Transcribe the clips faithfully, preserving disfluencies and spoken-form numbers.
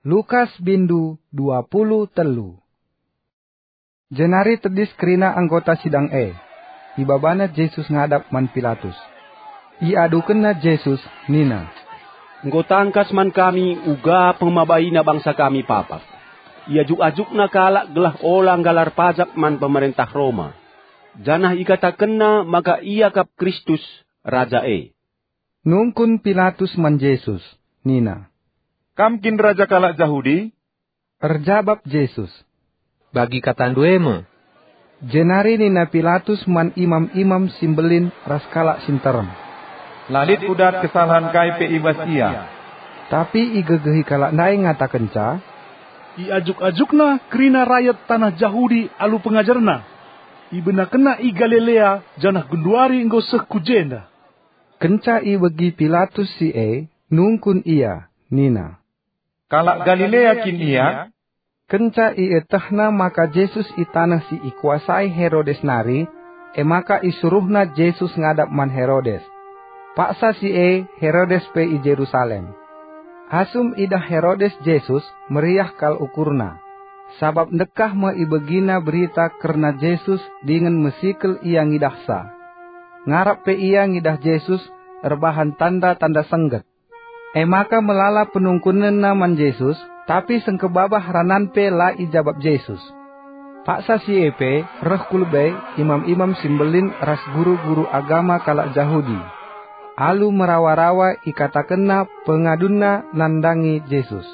Lukas bindu dua puluh telu. Jenari tedis kerina anggota sidang e. Ibabana Jesus ngadap man Pilatus. Iadukenna Jesus nina, "Enggo tangkas man kami uga pemabaina bangsa kami papak. Iajuk-ajukna kalak gelah ola nggalar pajak man pemerentah Roma, janah ikatakenna maka ia kap Kristus, Raja e." Nungkun Pilatus man Jesus, nina, "Kam kin raja kalak Jahudi?" Erjabap Jesus, "Bagi katandu e me." Jenari nina Pilatus man imam-imam si mbelin ras kalak si nterem, "La lit kudat kesalahen kai pe i bas ia." Tapi igegehi kalak ndai ngatakenca, "Iajuk-ajukna kerina rayat taneh Jahudi alu pengajarna. Ibenakenna i Galilea, janah genduari enggo seh ku jenda." Kenca ibegi Pilatus si e, nungkun ia, nina, "Kalak Galilea kin ia?" Kenca ietehna maka Jesus i taneh si ikuasai Herodes nari, e maka isuruhna Jesus ngadap man Herodes. Paksa si e Herodes pe i Jerusalem. Asum idah Herodes Jesus, meriah kal ukurna, sabap ndekah me ibegina berita kerna Jesus dingen mesikel ia ngidahsa. Ngarap pe ia ngidah Jesus erbahan tanda-tanda sengget. E maka melala penungkunenna man Jesus, tapi sengkebabah ranan pe la ijabap Jesus. Paksa si e pe reh ku lebe imam-imam si mbelin ras guru-guru agama kalak Jahudi, alu merawa-rawa ikatakenna pengadunna nandangi Jesus.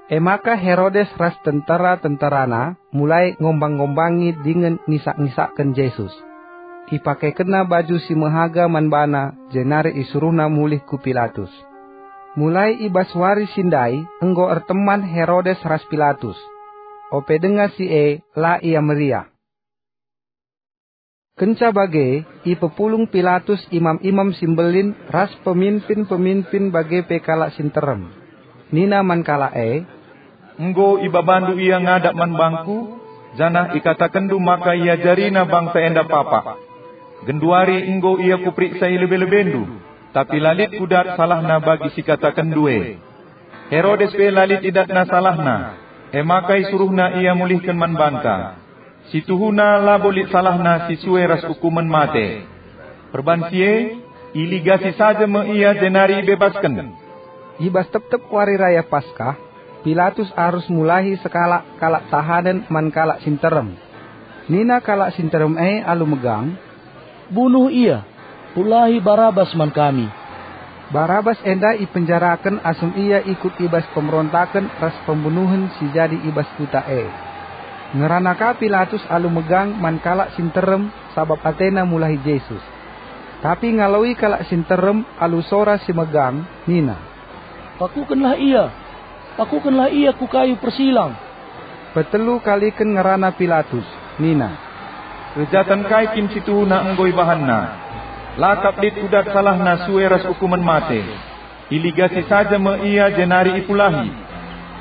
E maka Herodes ras tentera-tenterana mulai ngombang-ngombangi dingen ngisak-ngisakken Jesus. Ipakekenna baju si mehaga man bana, jenari isuruhna mulih ku Pilatus. Mulai i bas wari si ndai enggo erteman Herodes ras Pilatus. Ope denga si e, la ia meriah. Kenca bage, ipepulung Pilatus imam-imam si mbelin ras peminpin-peminpin bage pe kalak si nterem. Nina man kalak e, "Enggo ibabandu ia ngadap man bangku, janah ikatakenndu maka iajarina bangsa enda papak. Genduari enggo ia kuperiksa i lebe-lebendu, tapi la lit kudat salahna bagi si katakenndu e." Herodes pe la lit idatna salahna, e maka isuruhna ia mulihken man banta. Si tuhuna labo lit salahna si sue ras ukumen mate. Perban si e, iligasi saja me ia jenari ibebasken. I bas tep-tep wari raya Paskah, Pilatus arus mulahi sekalak kalak tahanen man kalak si nterem. Nina kalak si nterem e alu megang, "Bunuh ia! Pulahi Barabas man kami!" Barabas enda ipenjaraken asum ia ikut i bas pemberontaken ras pembunuhen si jadi i bas kuta e. Ngerana ka Pilatus alu megang man kalak si nterem sabap atena mulahi Jesus. Tapi ngaloi kalak si nterem alu sora si megang nina, "Pakukenlah ia! Pakukenlah ia ku kayu persilang!" Petelu kaliken ngerana Pilatus, nina, "Kejaten kai kin si tuhuna enggo ibahanna? La kap lit kudat salahna sue ras ukumen mate. Iligasi saja me ia jenari ipulahi."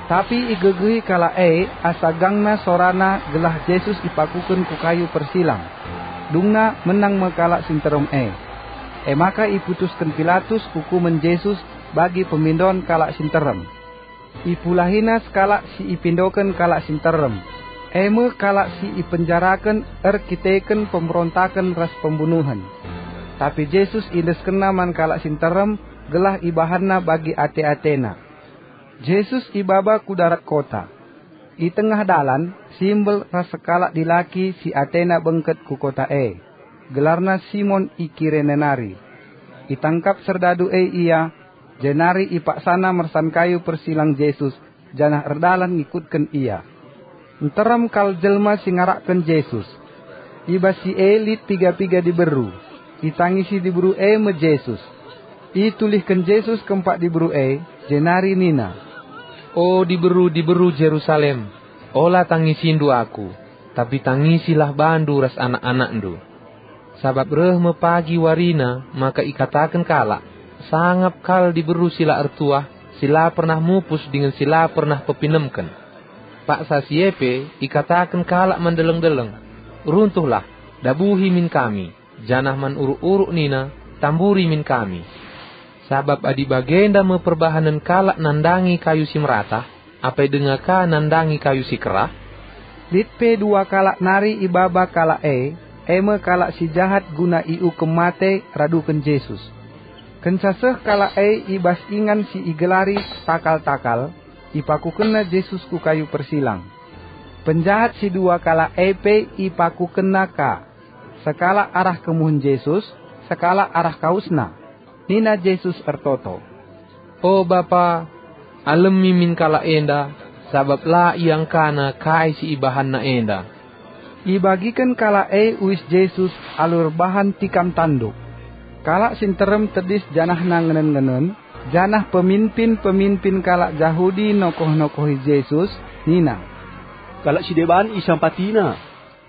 Tapi igegehi kalak e asa gangna sorana gelah Jesus ipakuken ku kayu persilang. Dungna menang me kalak si nterem e. E maka iputusken Pilatus ukumen Jesus bagi pemindon kalak si nterem. Ipulahina sekalak si ipindoken kalak si nterem, e me kalak si ipenjaraken erkiteken pemberontaken ras pembunuhen. Tapi Jesus iendeskenna man kalak si nterem gelah ibahanna bagi ate-atena. Jesus ibaba ku darat kota. I tengah dalan, simbel ras sekalak dilaki si atena bengket ku kota e. Gelarna Simon i Kirene nari. Itangkap serdadu e ia, jenari ipaksana mersan kayu persilang Jesus, janah erdalan ngikutken ia. Nterem kal jelma si ngarakken Jesus. I bas si e lit piga-piga diberu. Itangisi diberu e me Jesus. Itulihken Jesus kempak diberu e, jenari nina, "O diberu-diberu Jerusalem, ola tangisindu Aku, tapi tangisilah bandu ras anak-anakndu. Sabap reh me pagi warina maka ikataken kalak, 'Sangap kal diberu si la ertuah, si la pernah mupus dingen si la pernah pepinemken.' Paksa si e pe ikataken kalak man deleng-deleng, 'Runtuhlah, dabuhi min kami!' Janah man uruk-uruk nina, 'Tamburi min kami!' Sabap adi bagenda me perbahanen kalak nandangi kayu si meratah, apai denga ka nandangi kayu si kerah?" Lit pe dua kalak nari i baba kalak e, e me kalak si jahat guna iukum mate raduken Jesus. Kenca seh kalak e i bas ingan si igelari Takal-takal, ipakukenna Jesus ku kayu persilang. Penjahat si dua kalak e pe ipakukenna ka, sekalak arah kemuhen Jesus, sekalak arah kawesNa. Nina Jesus ertoto, "O Bapa, alemi min kalak enda, sabap la iangkana kai si ibahanna enda." Ibagiken kalak e uis Jesus alu erbahan tikam tanduk. Kalak si nterem tedis janahna ngenen-ngenen, janah peminpin-peminpin kalak Jahudi nokoh-nokohi Jesus nina, "Kalak si deban isampatiNa.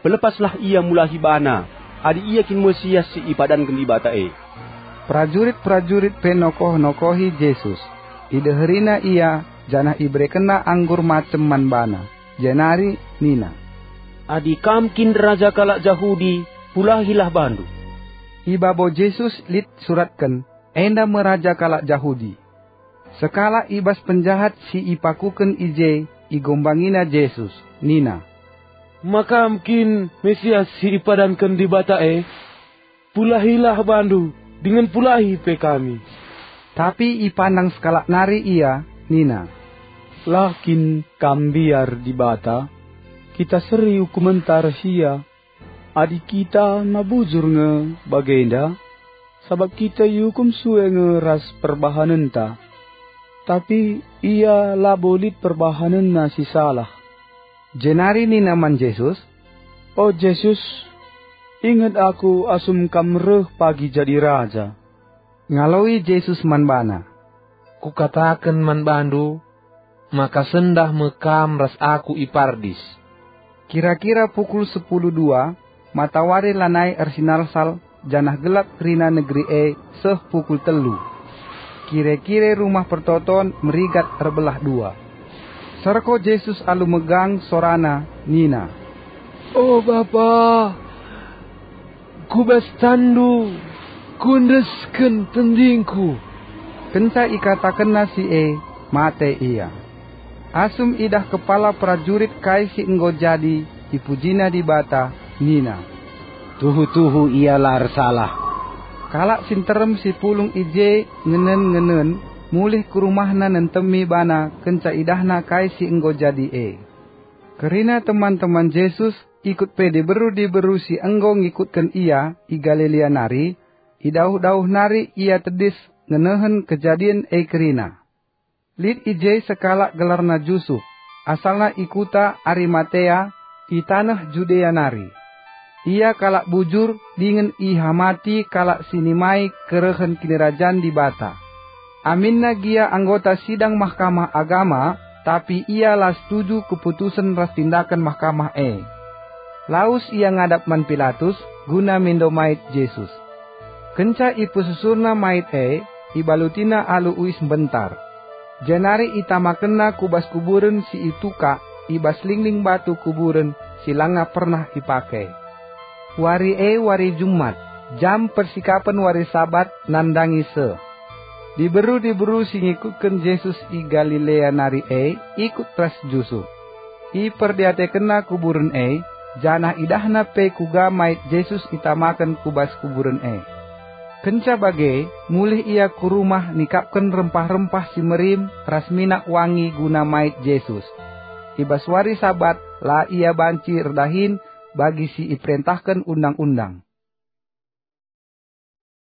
Pelepaslah IA mulahi baNa, adi IA kin Mesias si ipadanken Dibata e." Perajurit-perajurit pe nokoh-nokohi Jesus. Ideherina IA, janah iberekenna anggur macem man baNa, jenari nina, "Adi Kam kin Raja kalak Jahudi, pulahilah baNdu." I babo Jesus lit suratken, "Enda me Raja kalak Jahudi." Sekalak i bas penjahat si ipakuken i je igombangina Jesus, nina, "Ma Kam kin Mesias si ipadanken Dibata e? Pulahilah baNdu, dingen pulahi pe kami." Tapi ipandang sekalak nari ia, nina, "La kin Kam mbiar Dibata? Kita seri ukumenta ras IA. Adi kita ma bujur nge bagenda, sabap kita iukum sue nge ras perbahanenta. Tapi ia labo lit perbahanenna si salah." Jenari nina man Jesus, "O Jesus, inget aku asum Kam reh pagi jadi Raja." Ngaloi Jesus man bana, "Kukataken man bandu, maka sendah me kam ras Aku i Pardis." Kira-kira pukul sepuluh dua, matawari lanai ersinalsal, janah gelap kerina negeri e seh pukul telu. Kire-kire Rumah Pertoton merigat erbelah dua. Serko Jesus alu megang sorana nina, "O Bapa, ku bas tanNdu kuendesken tendingku." Kenca ikatakenna si e, mate ia. Asum idah kepala perajurit kai si enggo jadi, ipujina Dibata, nina, "Tuhu-tuhu ia la ersalah." Kalak si nterem si pulung i je ngenen-ngenen, mulih ku rumahna nentemi bana kenca idahna kai si enggo jadi e. Kerina teman-teman Jesus ikut pe diberu-diberu si enggo ngikutken ia i Galilea nari, i dauh-dauh nari ia tedis ngenehen kejadin e kerina. Lit i je sekalak gelarna Jusup, asalna i kuta Arimatea, i taneh Judea nari. Ia kalak bujur dingen ihamati kalak si nimai kerehen Kinirajan Dibata. Aminna gia anggota sidang Mahkamah Agama, tapi ia la setuju keputusen ras tindaken mahkamah e. Lawes ia ngadap man Pilatus guna mindo mait Jesus. Kenca ipesusurna mait e, ibalutina alu uis mbentar. Jenari itamakenna ku bas kuburen si itukak i bas lingling batu kuburen si langa pernah ipake. Wari e wari Jumat, jam persikapen wari Sabat nandangi seh. Diberu-diberu si ngikutken Jesus i Galilea nari e ikut ras Jusup. Iperdiatekenna kuburen e, janah idahna pe kuga mait Jesus itamaken ku bas kuburen e. Kenca bage, mulih ia ku rumah nikapken rempah-rempah si merim ras minak wangi guna mait Jesus. I bas wari Sabat la ia banci erdahin bagi si iperentahken Undang-undang.